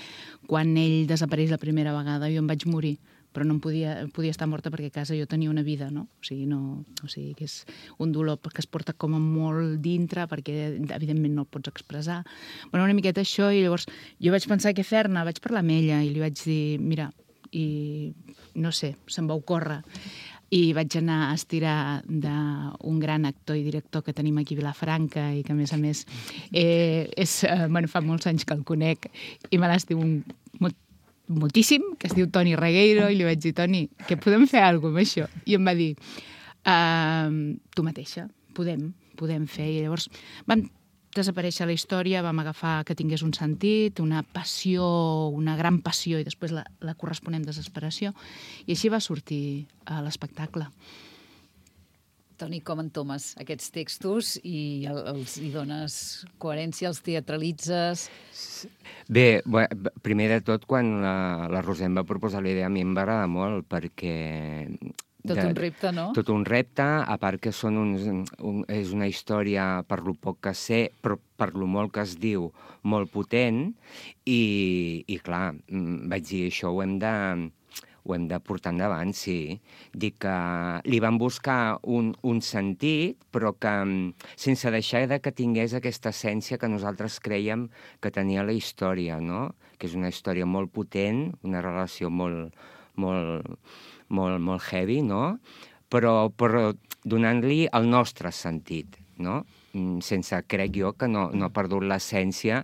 quan ell desapareix la primera vegada jo em vaig morir, però no podia estar morta perquè a casa jo tenia una vida, no? O sigui, que és un dolor que es porta com a molt dintre perquè evidentment no el pots expressar. Bueno, una miqueta això, i llavors jo vaig pensar què fer-ne, vaig parlar amb ella i li vaig dir, mira, i no sé, se'm va ocórrer. I vaig anar a estirar d'un gran actor i director que tenim aquí a Vilafranca i que, a més, fa molts anys que el conec i me l'estiu moltíssim, que es diu Toni Regueiro, i li vaig dir, Toni, que podem fer alguna cosa amb això? I em va dir, tu mateixa, podem fer. I llavors vam desaparèixer la història, vam agafar que tingués un sentit, una passió, una gran passió, i després la corresponent desesperació, i així va sortir l'espectacle. Toni, com entomes aquests textos i els hi dones coherència, els teatralitzes? Bé, primer de tot, quan la Roser em va proposar la idea, a mi em va agradar molt, perquè Tot un repte, no? Tot un repte, a part que és una història, per lo poc que sé, però per lo molt que es diu, molt potent, i clar, vaig dir, això ho hem de portar endavant, sí. Dic que li van buscar un sentit, però que sense deixar que tingués aquesta essència que nosaltres crèiem que tenia la història, no? Que és una història molt potent, una relació molt heavy, no? Però donant-li el nostre sentit, no? Sense, crec jo, que no ha perdut l'essència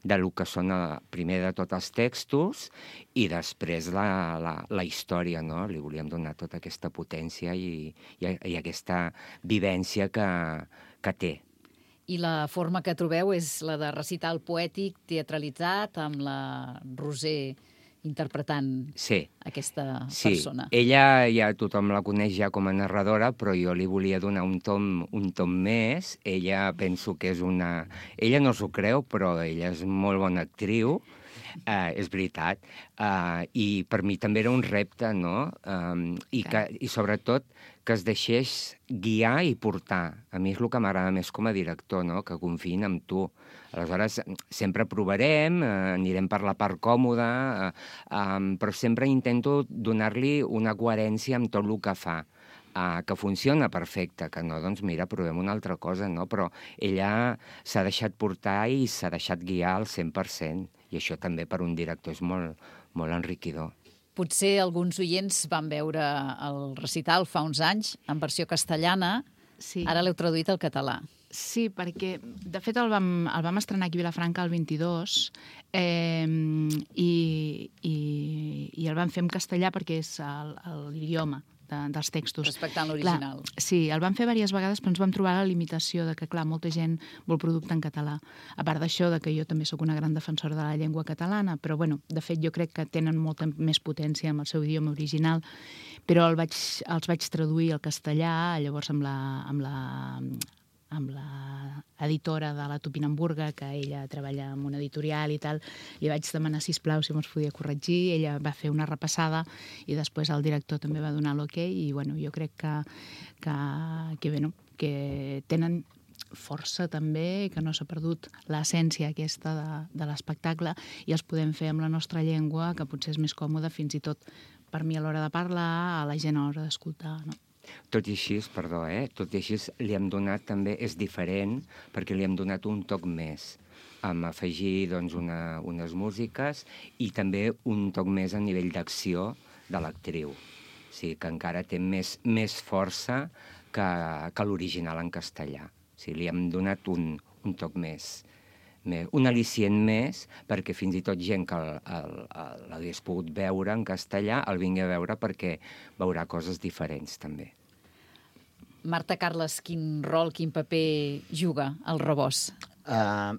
del que són, primer de tot, els textos i després la història, no? Li volíem donar tota aquesta potència i aquesta vivència que té. I la forma que trobeu és la de recital poètic teatralitzat amb la Roser interpretant aquesta persona. Sí, ella ja tothom la coneix ja com a narradora, però jo li volia donar un tom més. Ella penso que és una... Ella no s'ho creu, però ella és molt bona actriu, és veritat. I per mi també era un repte, no? I sobretot que es deixés guiar i portar. A mi és el que m'agrada més com a director, no? Que confiïn amb tu. Aleshores, sempre provarem, anirem per la part còmoda, però sempre intento donar-li una coherència amb tot el que fa. Que funciona perfecte, que no, doncs mira, provem una altra cosa, no? Però ella s'ha deixat portar i s'ha deixat guiar al 100%, i això també per un director és molt enriquidor. Potser alguns oients van veure el recital fa uns anys en versió castellana. Sí. Ara l'heu traduït al català. Sí, perquè, de fet, el vam estrenar aquí a Vilafranca el 22 i el vam fer en castellà perquè és l'idioma dels textos. Respectant l'original. Clar, sí, el vam fer diverses vegades, però ens vam trobar la limitació de que, clar, molta gent vol producte en català. A part d'això, que jo també sóc una gran defensora de la llengua catalana, però, bueno, de fet, jo crec que tenen molta més potència amb el seu idioma original, però els vaig traduir al castellà, llavors amb la editora de la Tupinamburga, que ella treballa en una editorial i tal, li vaig demanar, sisplau, si me'ls podia corregir, ella va fer una repassada i després el director també va donar l'ok i, bueno, jo crec que tenen força també, que no s'ha perdut l'essència aquesta de l'espectacle i els podem fer amb la nostra llengua, que potser és més còmode fins i tot per mi a l'hora de parlar, a la gent a l'hora d'escoltar, no? Tot i així, tot i així li hem donat també, és diferent, perquè li hem donat un toc més, amb afegir doncs, unes músiques i també un toc més a nivell d'acció de l'actriu. O sigui, que encara té més força que l'original en castellà. O sigui, li hem donat un toc més, un al·licient més, perquè fins i tot gent que l'hagués pogut veure en castellà el vingui a veure perquè veurà coses diferents també. Marta Carles, quin rol, quin paper juga el rebost?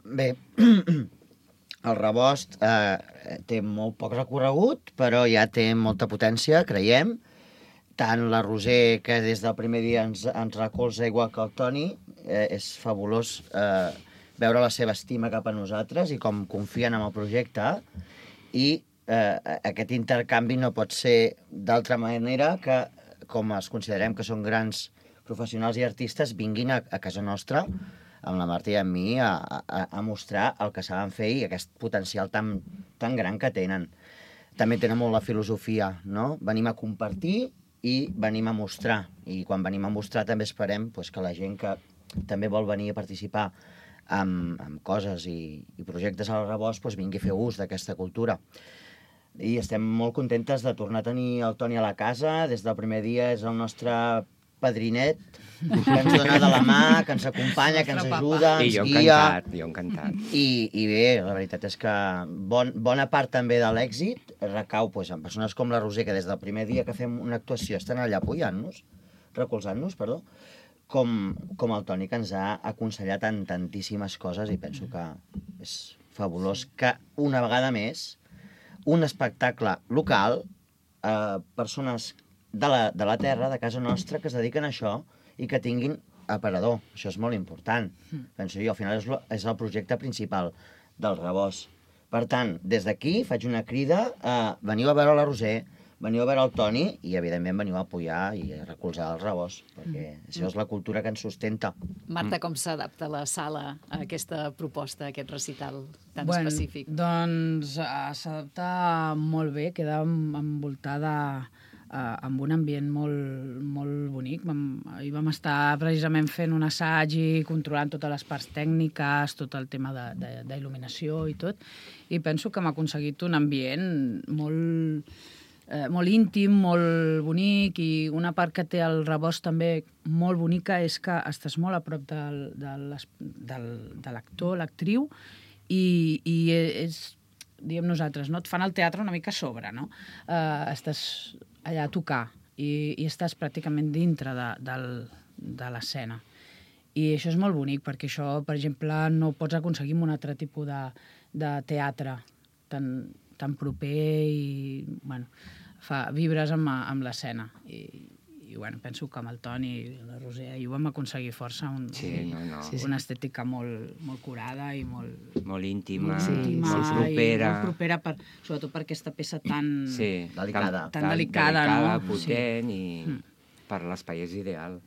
Bé, el rebost té molt poc recorregut, però ja té molta potència, creiem. Tant la Roser, que des del primer dia ens recolza igual que el Toni, és fabulós veure la seva estima cap a nosaltres i com confien en el projecte. I aquest intercanvi no pot ser d'altra manera que, com els considerem que són grans professionals i artistes, vinguin a casa nostra, amb la Marta i amb mi, a mostrar el que saben fer i aquest potencial tan gran que tenen. També tenen molt la filosofia, no? Venim a compartir i venim a mostrar. I quan venim a mostrar també esperem que la gent que també vol venir a participar amb coses i projectes al rebost vingui a fer ús d'aquesta cultura. I estem molt contentes de tornar a tenir el Toni a la casa. Des del primer dia és el nostre padrinet, que ens dona de la mà, que ens acompanya, que ens ajuda, ens guia. Jo encantat. I bé, la veritat és que bona part també de l'èxit recau en persones com la Roser, que des del primer dia que fem una actuació estan allà recolzant-nos, com el Toni, que ens ha aconsellat en tantíssimes coses i penso que és fabulós que una vegada més un espectacle local, persones de la terra, de casa nostra, que es dediquen a això i que tinguin aparador. Això és molt important. Penso jo, al final és el projecte principal del rebost. Per tant, des d'aquí faig una crida a veniu a veure la Roser, veniu a veure el Toni i, evidentment, veniu a apoyar i a recolzar el rebost, perquè això és la cultura que ens sustenta. Marta, com s'adapta la sala a aquesta proposta, a aquest recital tan específic? Doncs s'adapta molt bé, queda envoltada amb un ambient molt bonic. Ahir vam estar precisament fent un assaig i controlant totes les parts tècniques, tot el tema d'il·luminació i tot, i penso que hem aconseguit un ambient molt íntim, molt bonic, i una part que té el rebost també molt bonica és que estàs molt a prop de l'actor, l'actriu, i és, diem nosaltres, no? Et fan el teatre una mica a sobre, no? Estàs allà a tocar i estàs pràcticament dintre de l'escena. I això és molt bonic, perquè això, per exemple, no ho pots aconseguir amb un altre tipus de teatre tan proper i, bueno, vibres amb l'escena. I penso que amb el Toni i la Roser ahir ho vam aconseguir força, una estètica molt curada i molt íntima, molt propera. Molt propera, sobretot per aquesta peça tan delicada, potent, i per l'espai és ideal.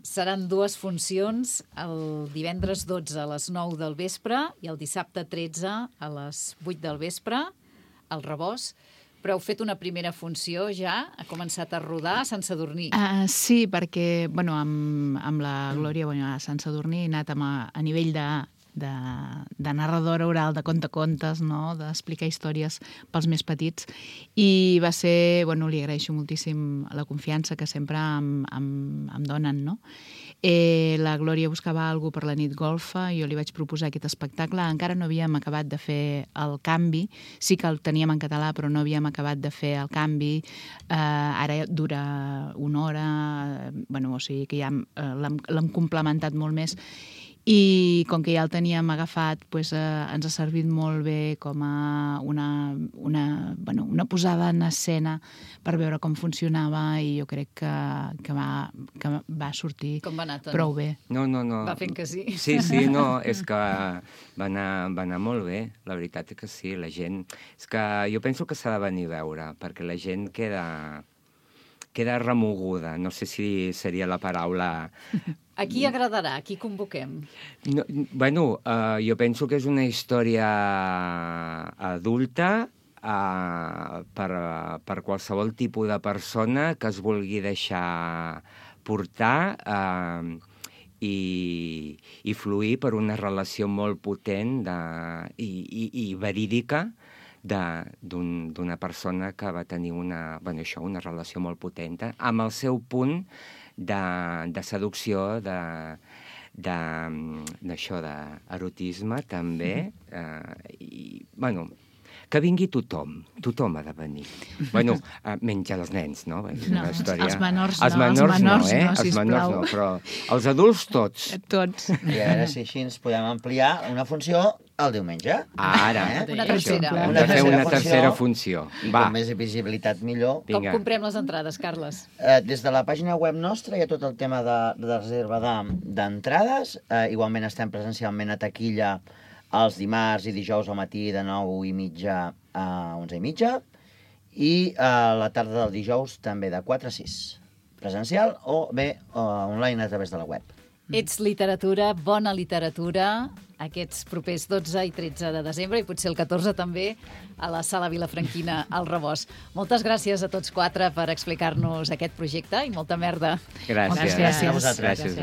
Seran 2 funcions, el divendres 12 a les 9 del vespre i el dissabte 13 a les 8 del vespre, al rebost. Però heu fet una primera funció ja? Ha començat a rodar a Sant Sadurní? Sí, perquè amb la Glòria a Sant Sadurní he anat a nivell de narradora oral, de contacontes, no? D'explicar històries pels més petits. I va ser, bueno, li agraeixo moltíssim la confiança que sempre em donen, no? La Glòria buscava alguna cosa per la nit golfa, jo li vaig proposar aquest espectacle, encara no havíem acabat de fer el canvi, sí que el teníem en català, però no havíem acabat de fer el canvi, ara dura 1 hora, bueno, o sigui que ja l'hem complementat molt més, i com que ja el teníem agafat, doncs, ens ha servit molt bé com a una posada en escena per veure com funcionava, i jo crec que va sortir prou bé. No. Va fent que sí. Sí, no, és que va anar molt bé, la veritat és que sí, la gent... És que jo penso que s'ha de venir a veure, perquè la gent queda remoguda, no sé si seria la paraula... A qui agradarà? A qui convoquem? No, bueno, jo penso que és una història adulta per qualsevol tipus de persona que es vulgui deixar portar i fluir per una relació molt potent i verídica d'una persona que va tenir una relació molt potent, amb el seu punt de seducció, d'això, d'erotisme, també, i, bueno, que vingui tothom ha de venir. Bueno, menys els nens, no? No, els menors no, però els adults tots. Tots. I a veure si així ens podem ampliar una funció el diumenge. Ara, una tercera. Hem de fer una tercera funció. I com més visibilitat millor. Com comprem les entrades, Carles? Des de la pàgina web nostra hi ha tot el tema de reserva d'entrades. Igualment estem presencialment a taquilla els dimarts i dijous al matí de 9:30 a 11:30 i a la tarda del dijous també de 4 a 6. Presencial o bé online a través de la web. Ets literatura, bona literatura, aquests propers 12 i 13 de desembre i potser el 14 també a la Sala Vilafranquina al Rebost. Moltes gràcies a tots 4 per explicar-nos aquest projecte i molta merda. Gràcies. Gràcies a vosaltres. Gràcies.